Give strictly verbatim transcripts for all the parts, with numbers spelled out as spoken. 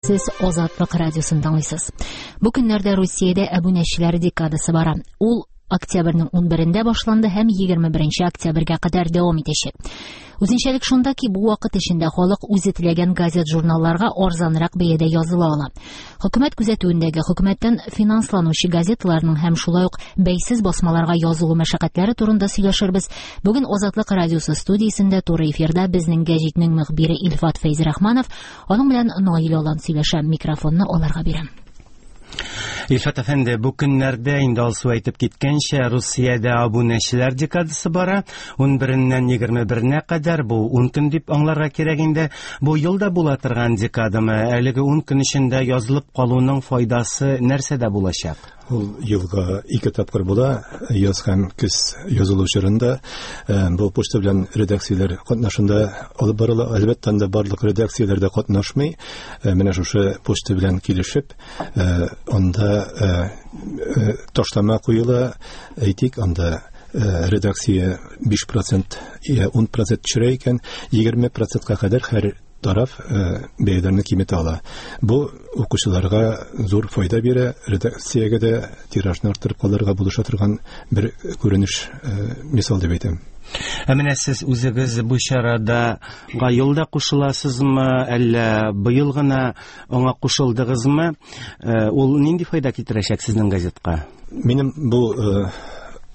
Сез Азатлык радиосын тыңлыйсыз. Бу көннәрдә Русиядә әбүнәчеләр декадасы бара. Ул октябрьнең унберендә башланды һәм егерме беренче октябрьгә кадәр дәвам итәчәк. Үзенчәлек шунда ки, бу вакыт эчендә халык үзе теләгән газет-журналларга арзанрак бәядә языла ала. Хөкүмәт күзәтүендәге хөкүмәттән финансланучы газеталарның һәм шулай ук бәйсез басмаларга язылу мәшәкатьләре турында сөйләшербез. Бүген Азатлык радиосы студиясендә туры эфирда безнең гәҗитнең мөхбире Илфат Фәйзрахманов, аның белән Наил Алан сөйләшә. Микрофонны аларга бирәм. Илфат әфәнде, бу көннәрдә инде Алсу әйтеп киткәнчә, Русиядә абунәчеләр декадасы бара. Ун береннән егерме беренә кадәр, бу ун көн дип аңларга кирәк инде. Бу елда була торган декадамы? Әлеге ун көн эчендә язылып калуның файдасы нәрсәдә булачак? Ул елга ике тапкыр була, яз һәм көз язылу чорында. Э, бу почта белән редакцияләр катнашында алып барыла. Әлбәттә, анда барлык редакцияләр дә катнашмый. Э, менә шушы почта белән килешеп, э, анда, э, э, ташлама куела. Әйтик, анда, э, редакция биш процент я ун процент төшерә икән, егерме процентка кадәр һәр тараф, э, бәяләрне киметә ала. Бу укучыларга зур файда бирә, редакциягә дә тиражны арттырып калырга булыша торган бер күренеш, э, мисал дип әйтәм. Ә менә сез үзегез бу чарада елда кушыласызмы, әллә быел гына аңа кушылдыгызмы? Э, ул нинди файда китерәчәк сезнең газетка? Минем бу, э,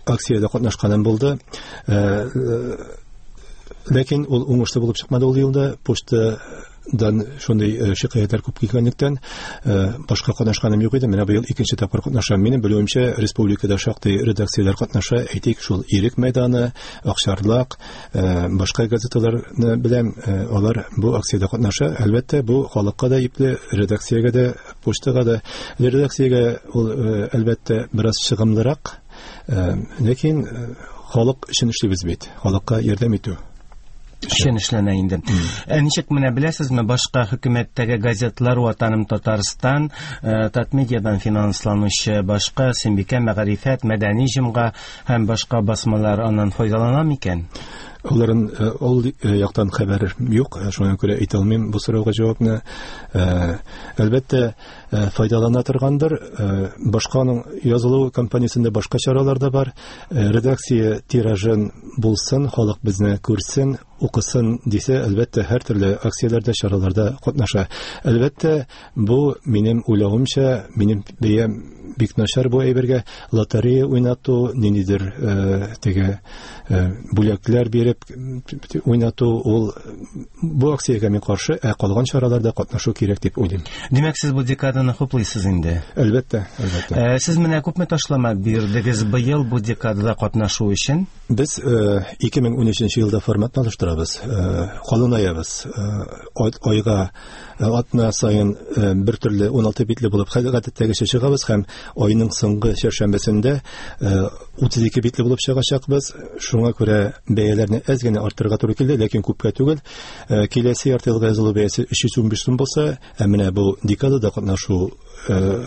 акциядә катнашканым булды. Э, э, ләкин ул уңышлы булып чыкмады ул елда. Почтадан шундый, э, шикаятьләр күп килгәнлектән, э, башка катнашканым юк иде. Менә быел икенче тапкыр катнашам. Минем белүемчә, республикада шактый редакцияләр катнаша. Әйтик, шул Ирек мәйданы, Акчарлак, э, башка газеталарны беләм, э, алар бу акциядә катнаша. Әлбәттә, бу халыкка да ипле, редакциягә дә, почтага да. Редакциягә ул, э, әлбәттә, бераз чыгымлырак, э, ләкин, э, халык өчен эшлибез бит, халыкка ярдәм итү. Өчен эшләнә инде. Ә ничек менә беләсезме, башка хөкүмәттәге газетлар Ватаным Татарстан, э, Татмедиадан финансланучы башка Сөембикә, Мәгарифәт, Мәдәни җомга һәм башка басмалар аннан файдалана микән? Аларын, э, ул, э, яктан хәбәр юк, э, шуңа күрә әйтә алмыйм бу сорауга җавапны. Э, әлбәттә, э, файдалана торгандыр. Э, башканың язылу кампаниясендә башка чаралар да бар. Э, редакция тиражын булсын, халык безне күрсен, укысын дисә, әлбәттә, һәр төрле акцияләрдә, чараларда катнаша. Әлбәттә, бу минем уйлавымча, минем бәям бик начар бу әйбергә. Лотерея уйнату, ниндидер, э, теге, э, бүләкләр биреп уйнату, ул бу акциягә мин каршы, ә калган чараларда катнашу кирәк дип уйлыйм. Димәк, сез бу декаданы хуплыйсыз инде? Әлбәттә, әлбәттә. Э, сез менә күпме ташлама бирдегез быел бу декадада катнашу өчен? Без, э, ике мең унөченче елда форматны алыштырабыз, э, калынаябыз. Э, айга, э, атна саен, э, бер төрле уналты битле булып гадәттәгечә чыгабыз һәм айның соңгы чәршәмбесендә, э, утыз ике битле булып чыгачакбыз. Шуңа күрә бәяләрне әз генә арттырырга туры килде, ләкин күпкә түгел. Э, киләсе ярты елга язылу бәясе өч йөз унбиш сум булса, ә менә бу декадада катнашу, э,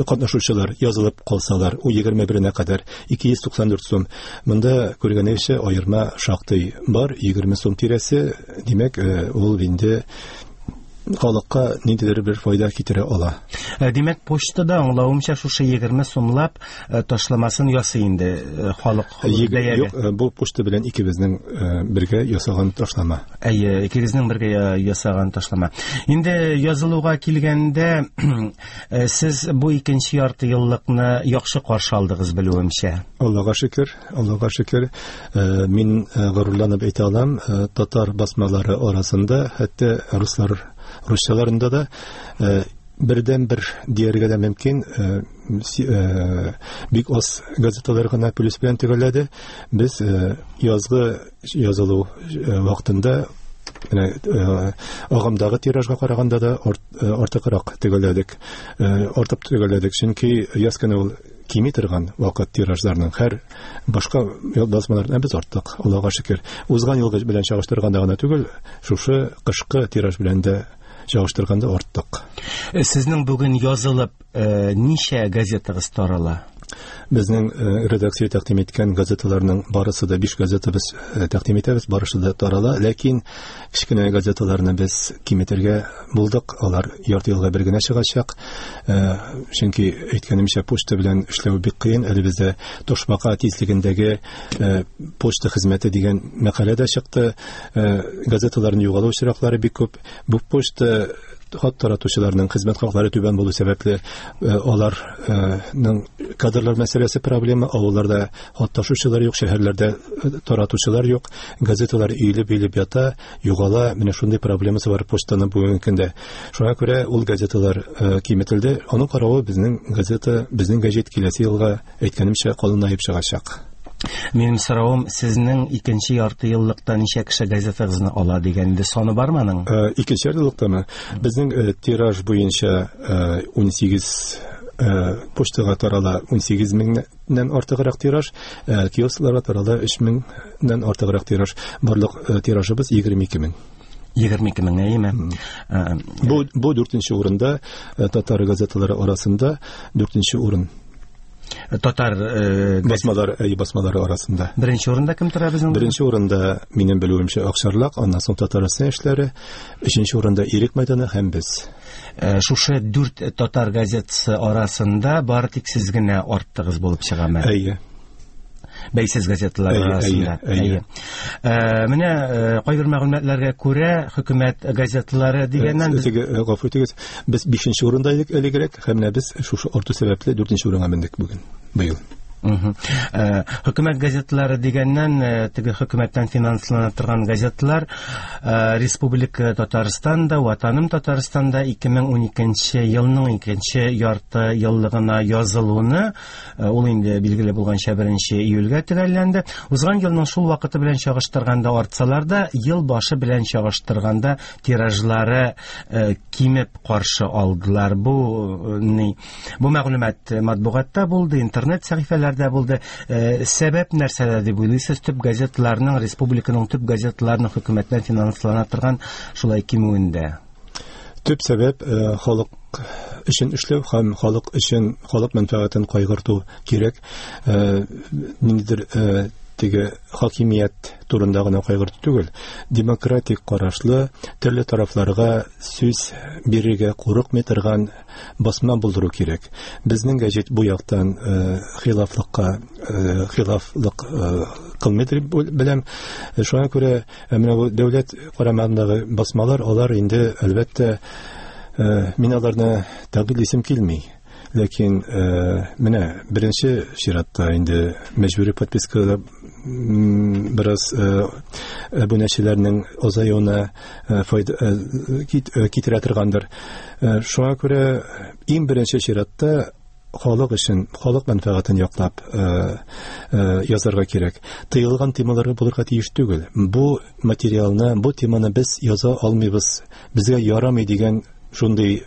катнашучылар язылып калсалар, у егерме беренә кадәр ике йөз туксан дүрт сум. Монда күргәнегезчә аерма шактый бар, егерме сум тирәсе, димәк, э, ул инде халыкка ниндидер бер файда китерә ала. Э, димәк, почтада аңлавымча шушы егерме сумлап, э, ташламасын ясый инде, э, халык Егер-, бәягә. Юк, э, бу почта белән икебезнең, э, бергә ясаган ташлама. Әйе, икегезнең бергә я-, ясаган ташлама. Инде язылуга килгәндә, э, сез бу икенче ярты еллыкны яхшы каршы алдыгыз белүемчә. Аллага шөкер, Аллага шөкер. Э, мин, э, горурланып әйтә алам, э, татар басмалары арасында, хәтта руслар, русчаларында да, э, бердән бер дияргә дә мөмкин, э, си-, э, бик аз газеталар гына плюс белән төгәлләде. Без, э, язгы язылу, э, вакытында менә, э, агымдагы тиражга караганда да арт-, э, артыграк төгәлләдек. Э, артып төгәлләдек, чөнки яз көне ул кими торган вакыт тиражларның һәр башка басмалардан без арттык, Аллага шөкер. Узган елгы белән чагыштырганда гына түгел, шушы кышкы тираж белән дә чагыштырганда арттык. Э, сезнең бүген язылып, э, ничә газетагыз тарала? Безнең редакция тәкъдим иткән газеталарның барысы да, биш газета без тәкъдим итәбез, барысы да тарала, ләкин кечкенә газеталарны без киметергә булдык, алар ярты елга бер генә чыгачак. Чөнки әйткәнемчә, почта белән эшләү бик кыен. Әле бездә ташбака тизлегендәге почта хезмәте дигән мәкалә дә чыкты. Газеталарның югалу очраклары бик күп. Бу почта хат таратучыларның хезмәт хаклары түбән булу сәбәпле, аларның кадрлар мәсьәләсе проблема. Авылларда хат ташучылар юк, шәһәрләрдә таратучылар юк, газеталар өелеп-өелеп ята, югала. Менә шундый проблемасы бар почтаның бүгенге көндә. Шуңа күрә ул газеталар киметелде. Аның каравы безнең газета, безнең гәҗит киләсе елга, әйткәнемчә, калынаеп чыгачак. Минем соравым, сезнең икенче ярты еллыкта ничә кеше газетагызны ала дигән инде саны бармы аның? Икенче ярты еллыктамы? Безнең тираж буенча ун сигез почтага тарала ун сигез меңнән артыграк тираж, киоскларга тарала өч меңнән артыграк тираж. Барлык тиражыбыз егерме ике мең. Егерме ике мең, әйеме? Бу, бу дүртенче урында, татар газеталары арасында дүртенче урын. Татар э, басмалар, әй, басмалары арасында. Беренче урында кем тора безнең? Беренче урында, минем белүемчә, Акчарлак, аннан соң Татарстан эшләре, өченче урында Ирек мәйданы һәм без. Э, шушы дүрт татар газетасы арасында бары тик сез генә арттыгыз булып чыгамы? Әйе. Бәйсез газеталар арасында. Әйе. Менә кайбер мәгълүматларга күрә, хөкүмәт газеталары дигәннән без гафу итегез, без бишенче урында идек элегрәк, һәм менә без шушы арту сәбәпле дүртенче урынга мендек бүген, быел. Хөкүмәт газеталары дигәннән, теге хөкүмәттән финанслана торган газеталар Республика Татарстанда, Ватаным Татарстанда ике мең уникенче елның икенче ярты еллыгына язылуны, ул инде билгеле булганча беренче июльгә төгәлләнде. Узган елның шул вакыты белән чагыштырганда артсалар да, ел башы белән чагыштырганда тиражлары кимеп каршы алдылар. Бу ни, бу мәгълүмат матбугатта булды, интернет сәхифәләрдә булды. Сәбәп нәрсәдә дип уйлыйсыз? Төп газеталарның, республиканың төп газеталарының хөкүмәттән финанслана торган шулай кимүендә. Төп сәбәп халык өчен эшләү һәм халык өчен халык мәнфәгатен кайгырту кирәк. Ниндидер теге хакимият турында гына кайгырту түгел, демократик карашлы, төрле тарафларга сүз бирергә курыкмый торган басма булдыру кирәк. Безнең гәҗит бу яктан хилафлыкка хилафлык кылмый дип беләм. Шуңа күрә менә бу дәүләт карамагындагы басмалар, алар инде әлбәттә, мин аларны тәнкыйтьлисем килми. Ләкин менә беренче чиратта инде мәҗбүри подпискада бераз әбүнәчеләрнең азаюына файда китерә торгандыр. Шуңа күрә иң беренче чиратта халык өчен, халык мәнфәгатен яклап язарга кирәк. Тыелган темалар булырга тиеш түгел. Бу материалны, бу теманы без яза алмыйбыз, безгә ярамый дигән шундый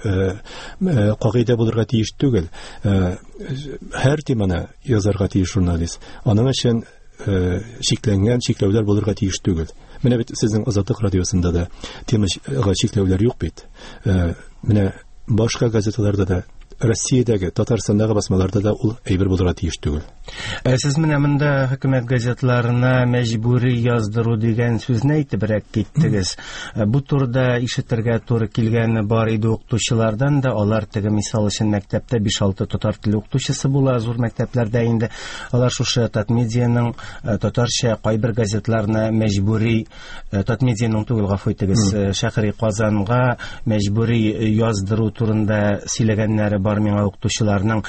кагыйдә булырга тиеш түгел. Һәр теманы язарга тиеш журналист. Аның өчен чикләнгән чикләүләр булырга тиеш түгел. Менә бит сезнең Азатлык радиосында да темага чикләүләр юк бит. Менә башка газеталарда да, Россиядәге, Татарстандагы басмаларда да ул әйбер булырга тиеш түгел. Сез менә монда хөкүмәт газетларына мәҗбүри яздыру дигән сүзне әйтебрәк киттегез. Бу турыда ишетергә туры килгәне бар иде укытучылардан да. Алар теге мисал өчен мәктәптә биш-алты татар теле укытучысы була, зур мәктәпләрдә инде. Алар шушы Татмедианың татарча кайбер газетларына мәҗбүри, Татмедианың түгел, гафу итегез, Шәһри Казанга мәҗбүри яздыру турында сөйләгәннәре бар миңа укытучыларның.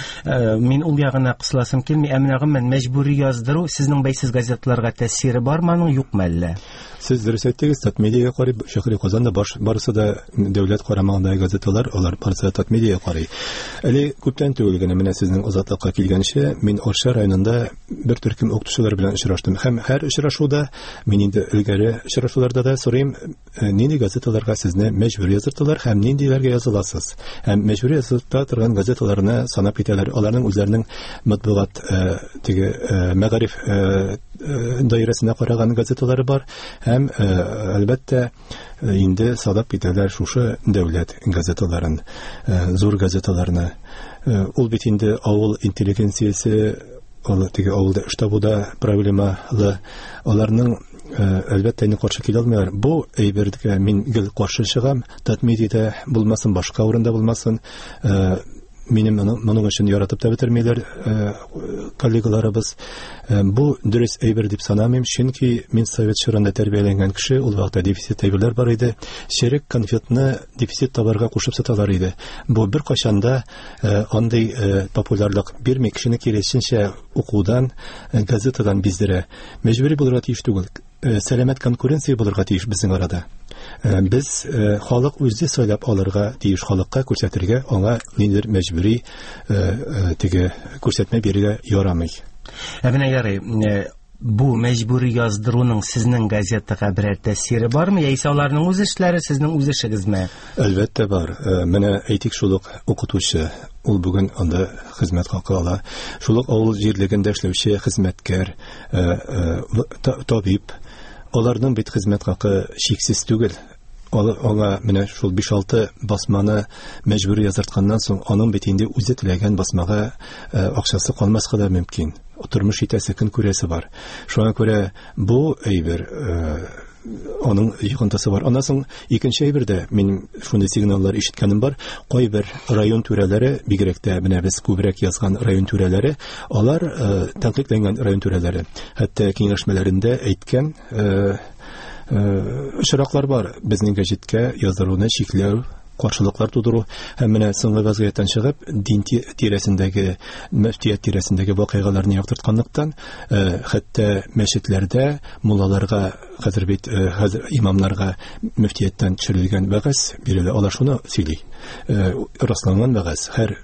Мин ул ягына кысыласым килми. Ә менә гомумән мәҗбүри яздыру сезнең бәйсез газетларга тәэсире бармы аның, юкмы әллә? Сез дөрес әйттегез, Татмедиага карый, Шәһри Казанда барысы да дәүләт карамагындагы газеталар, алар барысы да Татмедиага карый. Әле күптән түгел генә менә сезнең Азатлыкка килгәнче мин Арча районында бер төркем укытучылар белән очраштым. Һәм һәр очрашуда мин инде элгәре очрашуларда да сорыйм, нинди газеталарга сезне мәҗбүр яздырталар һәм ниндиләргә языласыз? Һәм мәҗбүр яздырта торган район газеталарына санап китәләр. Аларның үзләренең матбугат теге мәгариф даирәсенә караган газеталары бар һәм әлбәттә инде санап китәләр шушы дәүләт газеталарын, зур газеталарны. Ул бит инде авыл интеллигенциясе, ул теге авылда эш табуда проблемалы, аларның әлбәттә инде каршы килә алмыйлар. Бу әйбергә мин гел каршы чыгам. Татмедиада булмасын, башка урында булмасын, минем моның өчен яратып та бетермиләр коллегаларыбыз. Бу дөрес әйбер дип санамыйм, чөнки мин совет чорында тәрбияләнгән кеше, ул вакытта дефицит әйберләр бар иде. Черек конфетны дефицит товарга кушып саталар иде. Бу бер кайчан да андый популярлык бирми, кешене киресенчә укудан, газетадан биздерә. Мәҗбүри булырга тиеш түгел. Сәламәт конкуренция булырга тиеш безнең арада. Без халык үзе сайлап алырга тиеш, халыкка күрсәтергә, аңа ниндидер мәҗбүри теге күрсәтмә бирергә ярамый. Ә менә ярый, бу мәҗбүри яздыруның сезнең газетага берәр тәэсире бармы, яисә аларның үз эшләре, сезнең үз эшегезме? Әлбәттә бар. Менә әйтик, шул ук укытучы, ул бүген анда хезмәт хакы ала. Шул ук авыл җирлегендә эшләүче хезмәткәр, табиб, аларның бит хезмәт хакы чиксез түгел. Аңа менә шул биш-алты басманы мәҗбүри яздыртканнан соң, аның бит инде үзе теләгән басмага акчасы калмаска да мөмкин. Тормыш итәсе, көн күрәсе бар. Шуңа күрә бу әйбер аның йогынтысы бар. Аннан соң икенче әйбер дә, мин шундый сигналлар ишеткәнем бар. Кайбер район түрәләре, бигрәк тә менә без күбрәк язган район түрәләре, алар тәнкыйтьләнгән район түрәләре, хәтта киңәшмәләрендә әйткән очраклар бар. Безнең гәҗиткә яздыруны чикләү, каршылыклар тудыру һәм менә соңгы вазгыятьтән чыгып, дин тирәсендәге, мөфтият тирәсендәге вакыйгаларны яктыртканлыктан, хәтта мәчетләрдә муллаларга, хәзер бит хәзер имамнарга мөфтияттән төшерелгән вәгазь бирелә. Алар шуны сөйли. Расланган вәгазь һәр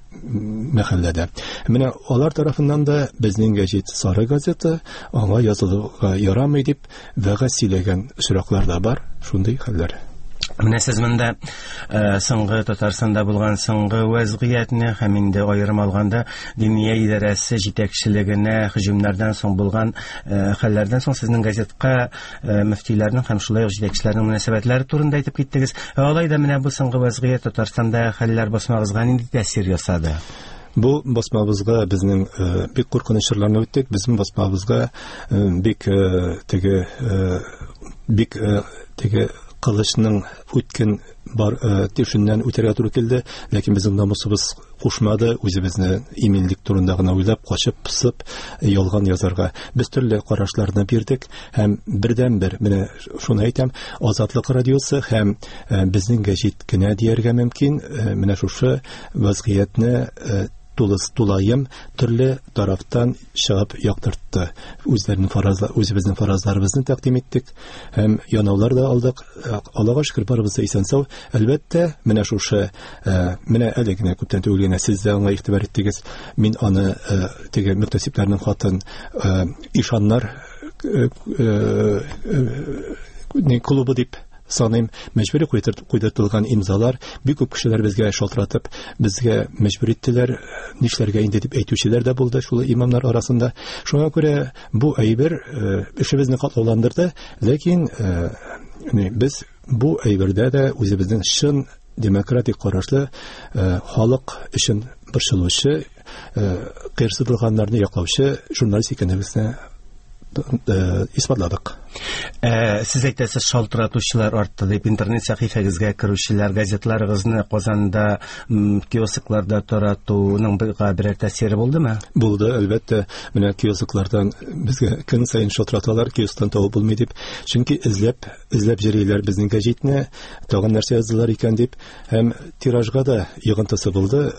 мәхәлләдә. Менә алар тарафыннан да безнең гәҗит сары газета, аңа язылырга ярамый дип вәгазь сөйләгән очраклар да бар, шундый хәлләр. Менә сез монда соңгы Татарстанда булган соңгы вазгыятьне һәм инде аерым алганда Диния идарәсе җитәкчелегенә һөҗүмнәрдән соң булган хәлләрдән соң сезнең газетка мөфтиләрнең һәм шулай ук җитәкчеләрнең мөнәсәбәтләре турында әйтеп киттегез. Алай да менә бу соңгы вазгыять Татарстанда хәлләр басмагызга нинди тәэсир ясады? Бу басмабызга безнең бик куркыныч чорларны үттек. Безнең басмабызга бик теге бик теге кылычның үткен бар төшеннән үтәргә туры килде, ләкин безнең намусыбыз кушмады үзебезне иминлек турында гына уйлап, качып, пысып, ялган язарга. Без төрле карашларны бирдек һәм бердән-бер, менә шуны әйтәм, Азатлык радиосы һәм безнең гәҗит кенә дияргә мөмкин, менә шушы вазгыятьне тулыс тулаем төрле тарафтан чыгып яктыртты. Үзләренең фаразлар, үзебезнең фаразларыбызны тәкъдим иттек һәм янаулар да алдык. Аллага шөкер, барыбыз да исән-сау. Әлбәттә, менә шушы, менә әле генә күптән түгел генә сез дә аңа игътибар иттегез. Мин аны теге мөхтәсибләрнең хатын ишаннар клубы дип саныйм. Мәҗбүри куйдыртылган имзалар, бик күп кешеләр безгә шалтыратып, безгә мәҗбүр иттеләр, нишләргә инде дип әйтүчеләр дә булды шул имамнар арасында. Шуңа күрә бу әйбер эшебезне катлауландырды, ләкин без бу әйбердә дә үзебезнең чын демократик карашлы халык өчен борчылучы, кыерсытылганнарны яклаучы журналист икәнебезне исбатладык. Сез әйтәсез, шалтыратучылар артты дип, интернет сәхифәгезгә керүчеләр, газетларыгызны Казанда киоскларда таратуның берәр тәэсире булдымы? Булды, әлбәттә. Менә киосклардан безгә көн саен шалтыраталар, киосктан табып булмый дип. Чөнки эзләп, эзләп йөриләр безнең гәҗитне, тагын нәрсә яздылар икән дип. Һәм тиражга да йогынтысы булды.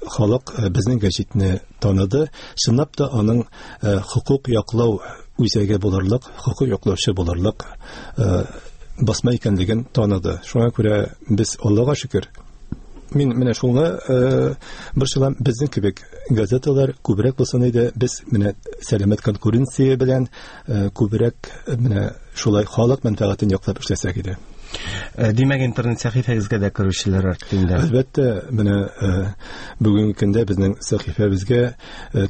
Халык безнең гәҗитне таныды. Чынлап та аның хокук яклау үзәге булырлык, хокук яклаучы булырлык басма икәнлеген таныды. Шуңа күрә без Аллага шөкер, мин менә шуңа борчылам, безнең кебек газеталар күбрәк булсын иде. Без менә сәламәт конкуренция белән күбрәк менә шулай халык мәнфәгатен яклап эшләсәк иде. Димәк, интернет сәхифәгезгә дә керүчеләр артты инде. Әлбәттә, менә бүгенге көндә безнең сәхифәбезгә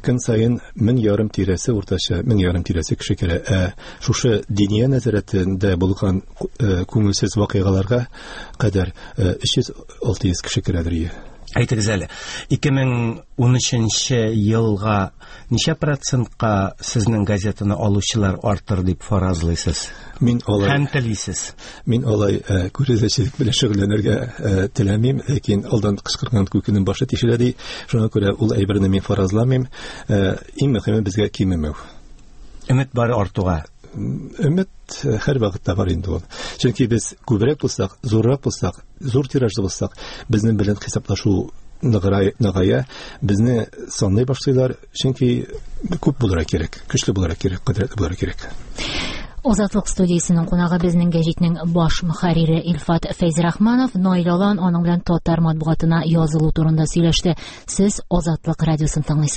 көн саен мең ярым тирәсе уртача, мең ярым тирәсе кеше керә. Ә шушы диния нәзарәтендә булган күңелсез вакыйгаларга кадәр өч йөз алты йөз кеше керәдер. Әйтегез әле, ике мең унөченче елга ничә процентка сезнең газетаны алучылар артыр дип фаразлыйсыз? Мин алай һәм телисез. Мин алай күрәзәчелек белән шөгыльләнергә теләмим, ләкин алдан кычкырган күкенең башы тишелә ди. Шуңа күрә ул әйберне мин фаразламыйм. Иң мөһиме безгә кимемәү. Өмет бар артуга. Өмет һәр вакытта бар инде ул. Чөнки без күбрәк булсак, зуррак булсак, зур тиражлы булсак, безнең белән хисаплашу ныгая, безне санлый башлыйлар, чөнки күп булырга кирәк, көчле булырга кирәк, кодрәтле булырга кирәк. Азатлык студиясенең кунагы безнең гәҗитнең баш мөхәррире Илфат Фәйзрахманов. Наил Алан аның белән татар матбугатына язылу турында сөйләште. Сез Азатлык радиосын тыңлыйсыз.